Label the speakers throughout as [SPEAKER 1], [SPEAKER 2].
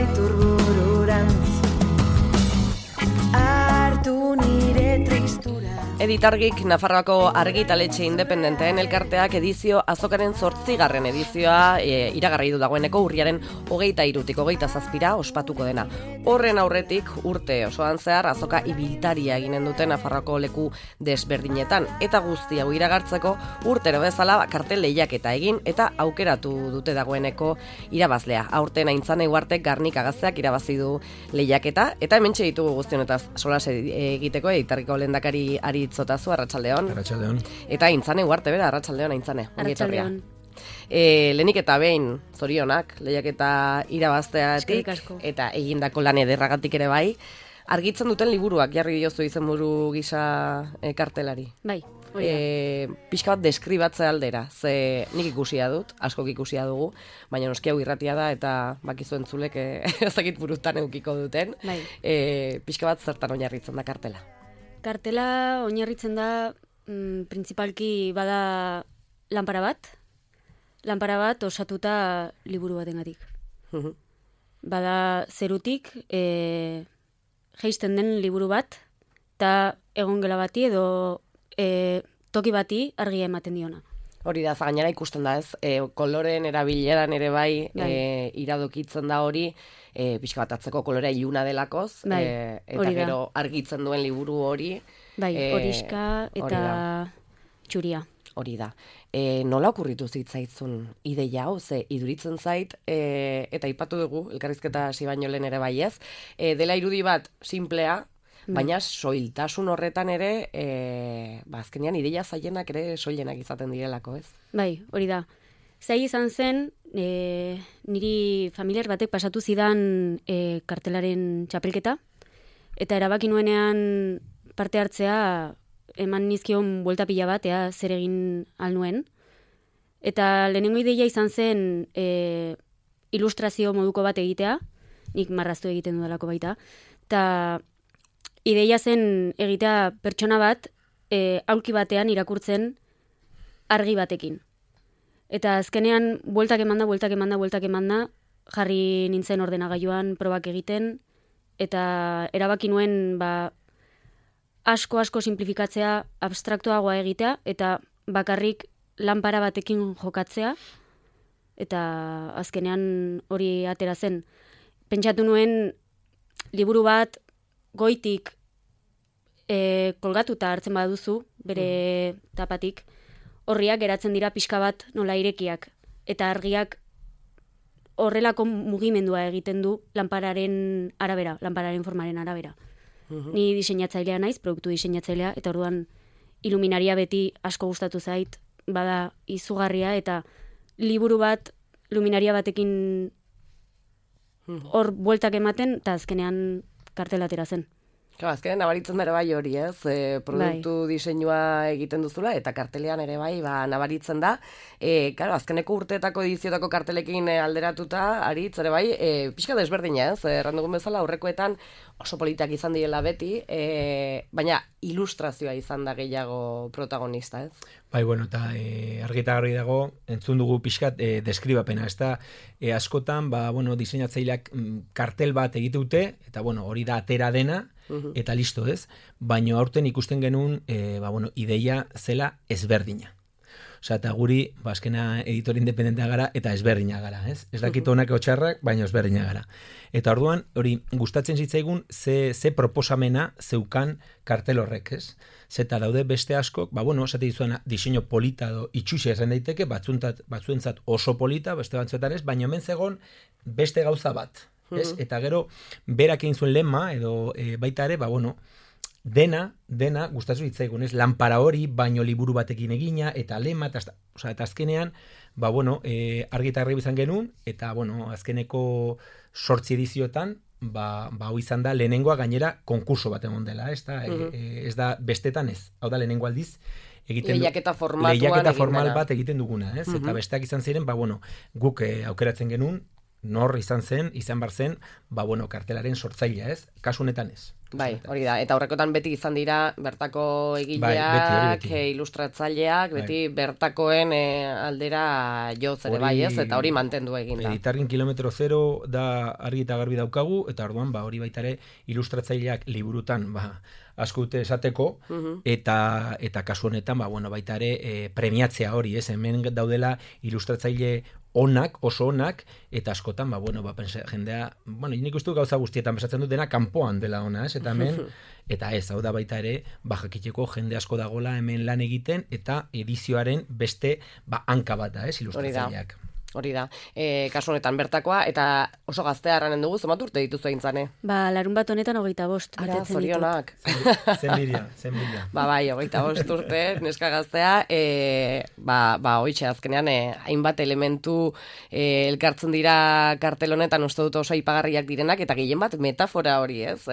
[SPEAKER 1] gaitur bururantz, hartu nire tristura.
[SPEAKER 2] Editargik Nafarroako argitaletxe independenteen elkarteak edizio azokaren 8. edizioa iragarri du dagoeneko urriaren 23tik 27 ospatuko dena. Horren aurretik urte osoan zehar azoka ibiltaria eginen duten Nafarroako leku desberdinetan eta guzti hau iragartzeko urtero bezala kartel lehiaketa egin eta aukeratu dute dagoeneko irabazlea. Aurten Aintzane Uhartek Garnika Gazteak irabazi du lehiaketa eta hementxe ditugu guztionetaz solas egiteko Editargiko lehendakari Aritzotazu, arratsaldeon.
[SPEAKER 3] Arratsaldeon.
[SPEAKER 2] Eta Aintzane Uharte bera, arratsaldeon Aintzane.
[SPEAKER 4] Arratsaldeon.
[SPEAKER 2] Lehenik eta behin zorionak lehiaketa irabazteatik eta egindako lan ederragatik ere bai. Argitzen duten liburuak jarri diozu izenburu gisa kartelari.
[SPEAKER 4] Bai.
[SPEAKER 2] Pixka bat deskribatze aldera, ze nik ikusia dut, askok ikusia dugu, baina noski hau irratia da eta bakizu entzulek ezakit burutan edukiko duten.
[SPEAKER 4] Bai.
[SPEAKER 2] Pixka bat zertan oinarritzen da kartela.
[SPEAKER 4] Kartela oinarritzen da printzipalki bada lanpara bat osatuta liburu batengatik. Bada zerutik jeisten den liburu bat eta egongela bati edo toki bati argia ematen diona.
[SPEAKER 2] Hori da, gainera ikusten da ez, koloreen erabileran ere bai, iradokitzen da hori, pixka bat atzeko kolorea iluna delakoz, eta gero argitzen duen liburu hori.
[SPEAKER 4] Bai, horiska eta txuria.
[SPEAKER 2] Hori da. Nola okurritu zitzaitzun ideia hau, ze iduritzen zait, eta aipatu dugu, elkarrizketa hasi baino lehen ere bai ez, dela irudi bat simplea, baina soiltasun horretan ere, azkenean ideia zaienak ere soilenak izaten direlako, ez?
[SPEAKER 4] Bai, hori da. Zai izan zen, niri familiar batek pasatu zidan kartelaren txapelketa, eta erabaki nuenean parte hartzea eman nizkion buelta pila bat, zer egin alnuen. Eta lehenengo ideia izan zen ilustrazio moduko bat egitea, nik marraztu egiten dudalako baita, eta ideia zen egitea pertsona bat aulki batean irakurtzen argi batekin. Eta azkenean bueltak emanda, jarri nintzen ordenagailuan probak egiten, eta erabaki nuen asko simplifikatzea, abstraktuagoa egitea, eta bakarrik lanpara batekin jokatzea, eta azkenean hori atera zen. Pentsatu nuen liburu bat goitik kolgatuta hartzen baduzu, bere tapatik, horriak geratzen dira pixka bat nola irekiak, eta argiak horrelako mugimendua egiten du lanpararen arabera, lanpararen formaren arabera. Ni diseinatzailea naiz, produktu diseinatzailea, eta orduan iluminaria beti asko gustatu zait, bada izugarria, eta liburu bat luminaria batekin hor bueltak ematen, eta azkenean kartelatera zen.
[SPEAKER 2] Azkenean nabaritzen da ere bai hori, ez? Produktu diseinua egiten duzula, eta kartelean ere bai nabaritzen da. Azkeneko urteetako ediziotako kartelekin alderatuta, Aritz ere bai, pixka desberdina, ez? Errandugun bezala, aurrekoetan oso politak izan direla beti, baina ilustrazioa izan da gehiago protagonista, ez?
[SPEAKER 3] Bai, bueno, eta argita garbi dago, entzun dugu pixkat deskribapena, ez da, askotan, diseinatzaileak kartel bat egitute, eta hori da atera dena, eta listo, ez? Baina aurten ikusten genuen, ideia zela ezberdina. Osea, eta guri, azkena editor independentea gara, eta ezberdina gara, ez? Ez dakit honak txarrak, baina ezberdina gara. Eta orduan, hori, gustatzen zitzaigun, ze proposamena zeukan kartel horrek, ez? Zeta daude beste askok, esate dizuena, diseño polita edo itxusia esan daiteke, batzuentzat oso polita, beste batzuetan ez, baina hemen zegon beste gauza bat, ez? Eta gero, berak egin zuen lema, edo baita ere, dena gustatzen zitzaigun, ez? Lanpara hori, baino liburu batekin egina, eta lema, eta azkenean, argi eta garbi izan genuen, eta, azkeneko 8 edizioetan, hau izan da lehenengoa gainera konkurso bat egon dela, ez da bestetan ez. Hau da lehenengo aldiz,
[SPEAKER 2] lehiaketa
[SPEAKER 3] formal bat egiten duguna, ez? Eta besteak izan ziren, guk aukeratzen genuen, nor izan bar zen, kartelaren sortzailea, ez? Kasu honetan ez.
[SPEAKER 2] Bai, hori da. Eta horrekotan beti izan dira bertako
[SPEAKER 3] Bai,
[SPEAKER 2] egileak,
[SPEAKER 3] beti.
[SPEAKER 2] ilustratzaileak, beti bertakoen aldera joz ere bai, ez? Eta hori mantendu egin da.
[SPEAKER 3] Editargin kilometro zero da argi eta garbi daukagu, eta orduan, hori baita ere ilustratzaileak liburutan, asko dute esateko, eta kasu honetan, baita ere premiatzea hori, ez? Hemen daudela ilustratzaile oso onak, eta askotan, jendea, nik uste gauza guztietan besatzen dut dena kanpoan dela ona, ez? Eta hemen, eta ez, hau da baita ere, jakiteko jende asko dagola hemen lan egiten, eta edizioaren beste, hanka bat da, ez? Ilustratzaileak.
[SPEAKER 2] Hori da. Kasu honetan bertakoa, eta oso gaztea erranen dugu, zenbat urte dituzu eintzane?
[SPEAKER 4] Larun bat honetan 25
[SPEAKER 2] Ara, zorionak.
[SPEAKER 3] Zenbiria.
[SPEAKER 2] Bai, 25 urte, neska gaztea, hoitxe, azkenean, hainbat elementu elkartzen dira kartel honetan, uste dut oso aipagarriak direnak, eta gehien bat metafora hori, ez?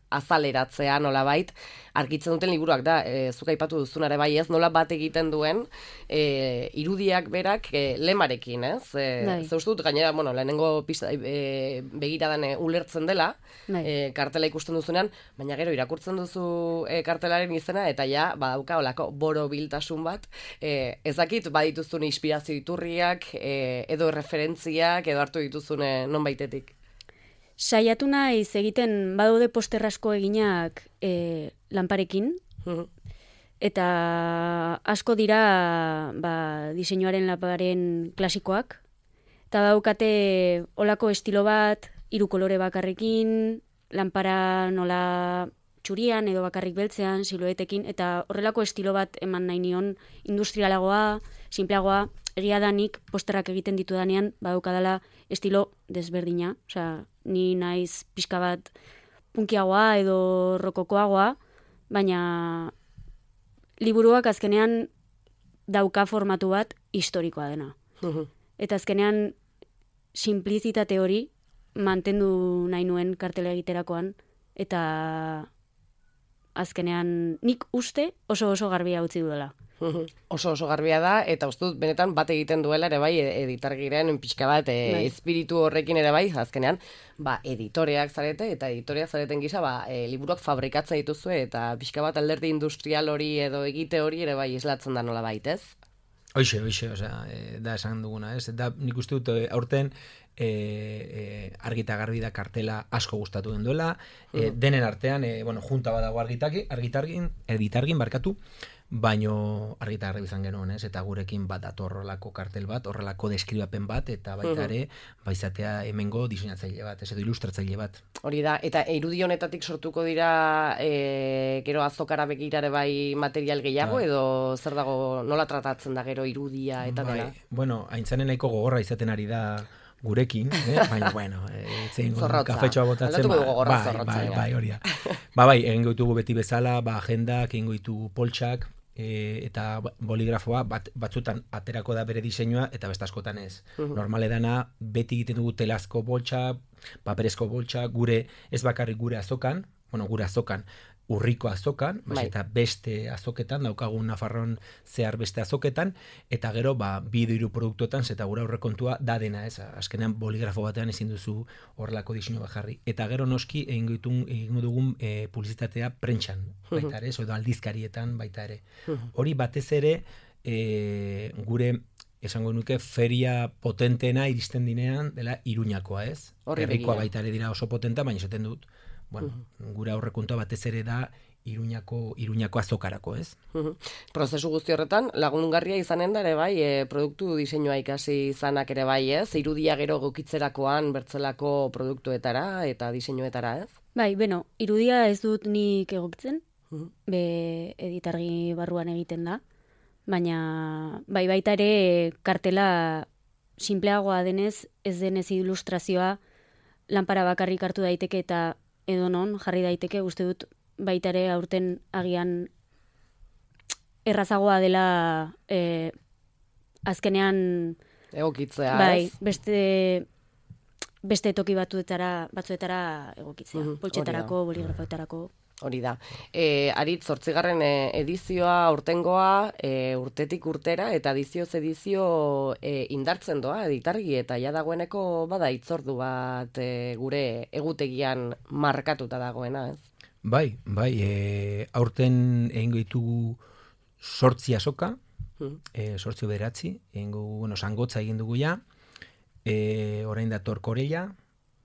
[SPEAKER 2] Azaleratzea nolabait, argitzen duten liburuak da, zuk aipatu duzunare bai ez, nola bat egiten duen irudiak berak lemarekin, ez? Ze uste dut, gainera, lehenengo begiradan ulertzen dela, kartela ikusten duzunean, baina gero irakurtzen duzu kartelaren izena, eta ja, badauka olako borobiltasun bat, ezakit badituzun inspirazio iturriak, edo referentziak, edo hartu dituzun nonbaitetik.
[SPEAKER 4] Saiatu naiz egiten badaude poster asko eginak lanparekin, eta asko dira diseinuaren lanparen klasikoak, eta daukate olako estilo bat, 3 kolore bakarrekin, lanpara nola txurian edo bakarrik beltzean, siluetekin, eta horrelako estilo bat eman nahi nion industrialagoa, simpleagoa, egia da nik posterrak egiten ditu danean, badaukadala estilo desberdina, osea, ni naiz pixka bat punkiagoa edo rokokoagoa, baina liburuak azkenean dauka formatu bat historikoa dena. Eta azkenean simplizitate hori mantendu nahi nuen kartela egiterakoan, eta azkenean nik uste oso garbia utzi duela.
[SPEAKER 2] Oso garbia da, eta uste dut benetan bat egiten duela ere bai editargiren pixka bat espiritu horrekin ere bai, azkenean editoreak zarete, eta editoreak zareten gisa liburuak fabrikatza dituzue, eta pixka bat alderdi industrial hori edo egite hori ere bai islatzen da nola baitez.
[SPEAKER 3] Hoxe, da esan duguna, ez? Da nik uste dut aurten argi eta garbi da kartela asko gustatu den duela, denen artean, junta badago editargin barkatu, baino argi eta garbi izan genuen, ez? Eta gurekin bat dator horrelako kartel bat, horrelako deskribapen bat, eta baita ere, baizatea hemengo diseinatzaile bat, ez edo ilustratzaile bat.
[SPEAKER 2] Hori da, eta irudi honetatik sortuko dira gero azokara begirare bai material gehiago, edo zer dago, nola tratatzen da gero irudia eta dela?
[SPEAKER 3] Aintzanen nahiko gogorra izaten ari da gurekin, baina, kafetxoa botatzen, bai, hori da. Egingo ditugu beti bezala, agendak, egingo ditugu poltsak, eta boligrafoa batzutan aterako da bere diseinua, eta beste askotan ez. Normale dana, beti egiten dugu telazko boltsa, paperezko boltsa, ez bakarrik gure azokan, urriko azokan, eta beste azoketan, daukagun Nafarroan zehar beste azoketan, eta gero, 2-3 produktuetan, zeta gura aurrekontua da dena, ez? Azkenean boligrafo batean ezin duzu horrelako diseinu bat jarri. Eta gero noski egingo dugun publizitatea prentxan, baita ere, edo aldizkarietan baita ere. Hori batez ere, gure esango nuke feria potenteena iristen dinean dela Iruñakoa, ez? Herrikoa baita ere dira oso potenta, baina esaten dut, gure aurrekontua batez ere da Iruñako azokarako, ez?
[SPEAKER 2] Prozesu guzti horretan, lagungarria izanen da ere bai, produktu diseinua ikasi izanak ere bai, ez? Irudia gero gokitzerakoan bertzelako produktuetara eta diseinuetara, ez?
[SPEAKER 4] Bai, irudia ez dut nik egokitzen, editargi barruan egiten da, baina baita ere kartela simpleagoa denez, ez denez ilustrazioa lanpara bakarrik hartu daiteke eta edonon jarri daiteke, uste dut baita ere aurten agian errazagoa dela azkenean
[SPEAKER 2] egokitzea,
[SPEAKER 4] bai, beste toki batzuetara egokitzea, poltsetarako, boligrafoetarako.
[SPEAKER 2] Hori da. Arit, 8. Edizioa, urtengoa, urtetik urtera, eta edizio indartzen doa, editargi, eta ja dagoeneko bada itzordu bat gure egutegian markatuta dagoena, ez?
[SPEAKER 3] Bai, aurten egingo ditugu 8 azoka, 8 bederatzi, Zangotza egin dugu ja, orain dator Korella,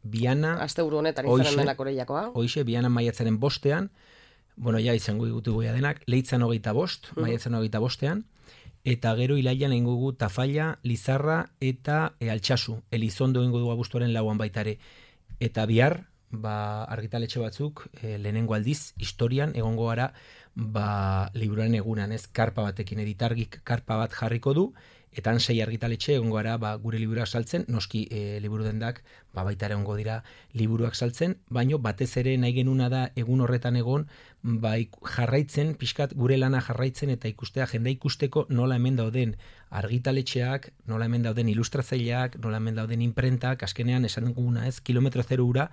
[SPEAKER 3] Biana...
[SPEAKER 2] Asteburu honetan izanen dena Korellakoa.
[SPEAKER 3] Hoixe, Biana maiatzaren 5ean, ja izango ditugu denak, Leitzan 25, maiatzan 25ean, eta gero ilailan egingo dugu Tafalla, Lizarra eta Altsasu. Elizondo egingo dugu abuztuaren 4an baitare. Eta bihar, argitaletxe batzuk, lehenengo aldiz, historian, egongo gara, liburuaren egunan, ez, karpa batekin, editargik karpa bat jarriko du, eta 6 argitaletxe egongo gara gure liburuak saltzen, noski liburu dendak baita ere egongo dira liburuak saltzen, baino batez ere nahi genuna da egun horretan egon jarraitzen, pixkat gure lana jarraitzen eta ikustea, jendea ikusteko nola hemen dauden argitaletxeak, nola hemen dauden ilustratzaileak, nola hemen dauden imprentak, azkenean esan duguna ez, kilometro zero ura,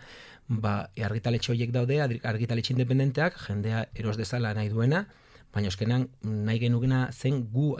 [SPEAKER 3] argitaletxe horiek daude, argitaletxe independenteak, jendea eros dezala nahi duena, baina eskenan nahi genukena zen gu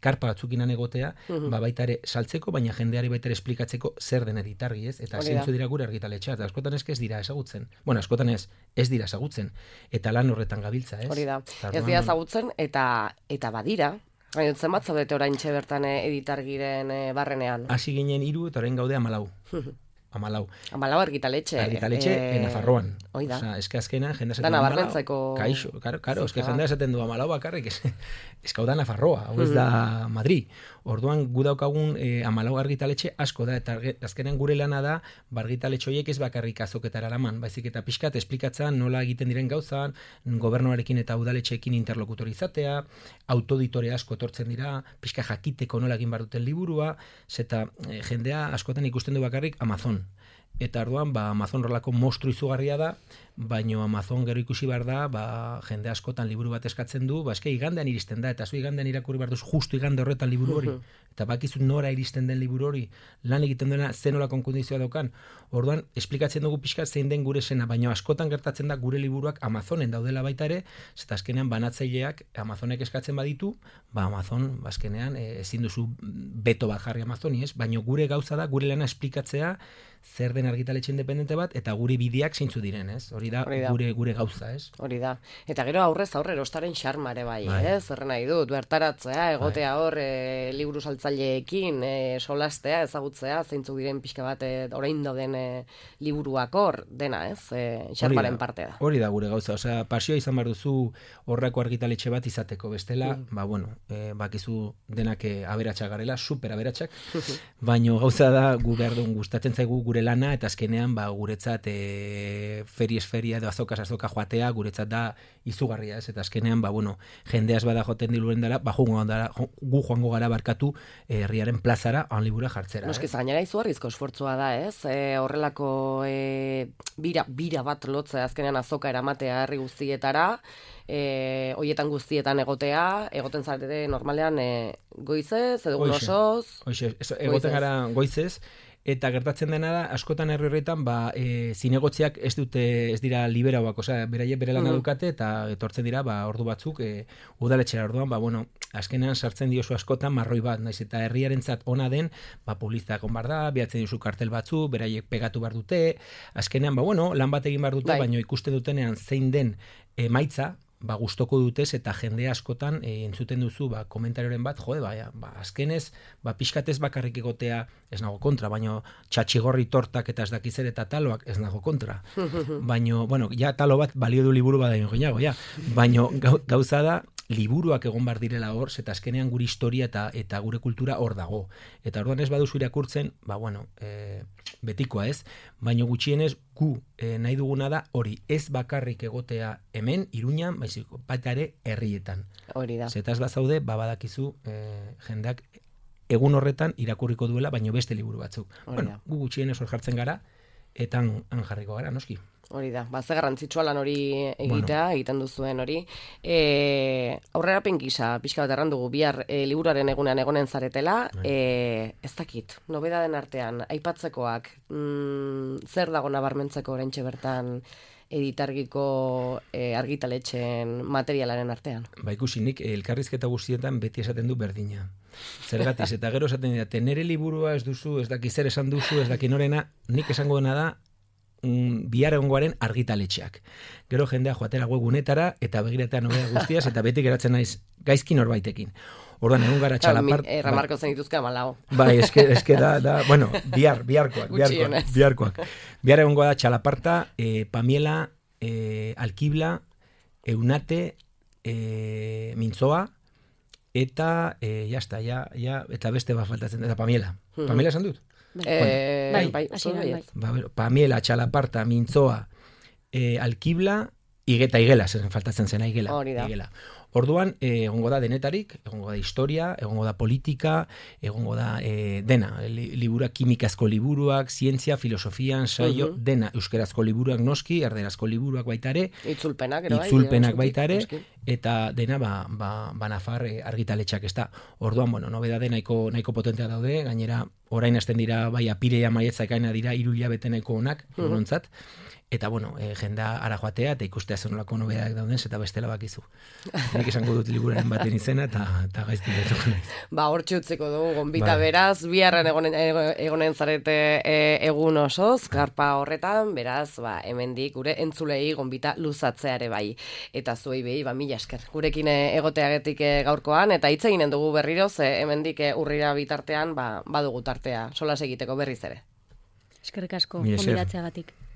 [SPEAKER 3] karpa batzukinan egotea, baita ere saltzeko, baina jendeari baita ere esplikatzeko zer den editargi, ez? Eta zeintzu dira gure argitaletxea, eta askotan ez dira ezagutzen. Bueno, askotan ez dira ezagutzen, eta lan horretan gabiltza, ez?
[SPEAKER 2] Hori da, ez dira ezagutzen, eta badira, gainotzen bat zaudete oraintxe bertan editargiren barrenean.
[SPEAKER 3] Hasi ginen 3 eta orain gaude 14.
[SPEAKER 2] 14 argitaletxe.
[SPEAKER 3] Argitaletxe Nafarroan.
[SPEAKER 2] Oida.
[SPEAKER 3] Osea, eske azkenan jendea esaten
[SPEAKER 2] du 14.
[SPEAKER 3] Kaixo, claro, eske jendea esaten du 14 bakarrik, eske hau da Nafarroa, hau ez da Madrid. Orduan gu daukagun 14 argitaletxe asko da, eta azkenan gure lana da argitaletxe horiek ez bakarrik azoketara eraman, baizik eta pixkat esplikatzen nola egiten diren gauzan, gobernuarekin eta udaletxeekin interlokutor izatea, autoditore asko etortzen dira, pixka jakiteko nola egin behar duten liburua, zeta jendea askotan ikusten du bakarrik Amazon. Eta orduan, Amazon rolako monstru izugarria da, baino Amazon gero ikusi behar da, jende askotan liburu bat eskatzen du, eske igandean iristen da, eta zu igandean irakurri behar duz justu igande horretan liburu hori, eta bakizut nora iristen den liburu hori, lan egiten duena zenola konkondizioa daukan, orduan, esplikatzen dugu pixka zein den gure sena, baino askotan gertatzen da gure liburuak Amazonen daudela baita ere, zeta azkenean banatzaileak Amazonek eskatzen baditu, Amazon, azkenean, ezin duzu beto bat jarri Amazoni, ez? Baino gure gauza da, gure lana esplikatzea, zer den argitaletxe independente bat, eta gure bideak zeintzu diren, ez? Hori da gure gauza, ez?
[SPEAKER 2] Hori da. Eta gero aurrez aurre erostaren xarmare bai, ez? Zerren nahi dut, bertaratzea, egotea hor, liburu saltzaileekin, solastea, ezagutzea, zeintzu diren pixka bat, orain dauden liburuak hor, dena, ez? Xarmaren parte da.
[SPEAKER 3] Hori da gure gauza, osea, pasioa izan behar duzu horreko argitaletxe bat izateko, bestela, bakizu denak aberatsak garela, super aberatsak, baino gauza da gu behar duen gustatzen zaigu gure lana, eta azkenean guretzat feria edo azoka joatea guretzat da izugarria, ez? Eta azkenean, jendeaz bada joten diluren dara, gu joango gara barkatu herriaren plazara libura jartzera.
[SPEAKER 2] Noski, gainera izugarrizko esfortzua da, ez? Horrelako bira bat lotzea azkenean azoka eramatea herri guztietara, hoietan guztietan egoten zarete normalean goizez, edo osoz.
[SPEAKER 3] Egoten gara goizez, eta gertatzen dena da, askotan herri horretan, zinegotziak ez dira liberauak, osea, beraiek bere lana dukate, eta etortzen dira, ordu batzuk, udaletxera orduan, azkenean sartzen diozu askotan marroi bat, naiz eta herriarentzat ona den, publizitate egon behar da, bihatzen diozu kartel batzu, beraiek pegatu behar dute, azkenean, lan bat egin behar dute, baina ikusten dutenean zein den emaitza, gustoko dutez, eta jende askotan entzuten duzu komentarioren bat, azkenez, pixkatez bakarrik egotea ez nago kontra, baina txatxigorri tortak eta ez dakizer eta taloak ez nago kontra. Baina, ja talo bat balio du liburu bat daino gehiago, ja. Baina gauza da, liburuak egon bar direla hor, eta azkenean gure historia eta gure kultura hor dago. Eta orduan ez baduzu irakurtzen, betikoa ez, baina gutxienez gu nahi duguna da hori ez bakarrik egotea hemen, Iruñan, baizik baita ere herrietan.
[SPEAKER 2] Hori da.
[SPEAKER 3] Zetaz bazaude, badakizu jendeak egun horretan irakurriko duela, baino beste liburu batzuk. Gu gutxienez hor jartzen gara, eta han jarriko gara, noski.
[SPEAKER 2] Hori da, ze garrantzitsua lan hori egitea, egiten duzuen hori. Aurrerapen gisa, pixka bat errandugu, bihar liburuaren egunean egonen zaretela, ez dakit, nobedaden artean, aipatzekoak, zer dago nabarmentzeko oraintxe bertan editargiko argitaletxeen materialaren artean.
[SPEAKER 3] Ba, ikusi nik elkarrizketa guztietan beti esaten du berdina. Zergatiz, eta gero esaten dira, nere liburua ez duzu, ez daki zer esan duzu, ez daki norena, nik esango dena da, bihar egongoaren argitaletxeak. Gero jendea joatera webgunetara eta begiratea nobeda guztiaz, eta beti geratzen naiz gaizki norbaitekin. Orduan egun gara txalapart...
[SPEAKER 2] Ramarko zen dituzka malao.
[SPEAKER 3] Bai, eske da, bueno, biharkoak. Bihar egongo da txalaparta, Pamiela, Alkibla, Eunate, Mintzoa, eta, eta beste bat faltatzen, eta Pamiela. Pamiela esan dut?
[SPEAKER 2] Bai,
[SPEAKER 3] Pamiela, txalaparta, Mintzoa, Alkibla, Igela, faltatzen zen Igela. Orduan, egongo da denetarik, egongo da historia, egongo da politika, egongo da dena, liburuak, kimikazko liburuak, zientzia, filosofian, saio, dena, euskerazko liburuak noski, erderazko liburuak baita ere, itzulpenak baita ere, eta dena, Nafar argitaletxak ez da. Orduan, nobedade nahiko potentea daude, gainera, orain hasten dira, bai, apireia maietza ekaina dira, 3 hilabete nahiko onak, nontzat, eta, jenda ara joatea, eta ikustea zenolako nobedak dauden, eta bestela bakizu. Nik esango dut liburaren baten izena, eta gaizki betuko naiz.
[SPEAKER 2] Hortxe utziko dugu, gonbita beraz, biharren egonen zarete egun osoz, karpa horretan, beraz, hemendik gure entzulei gonbita luzatzeare bai. Eta zuei behi, mila esker. Gurekin egoteagetik gaurkoan, eta hitz eginen dugu berriroz, hemendik urrira bitartean, badugu tartea, solas egiteko berriz ere.
[SPEAKER 4] Eskerrik asko, gonbidatzeagatik.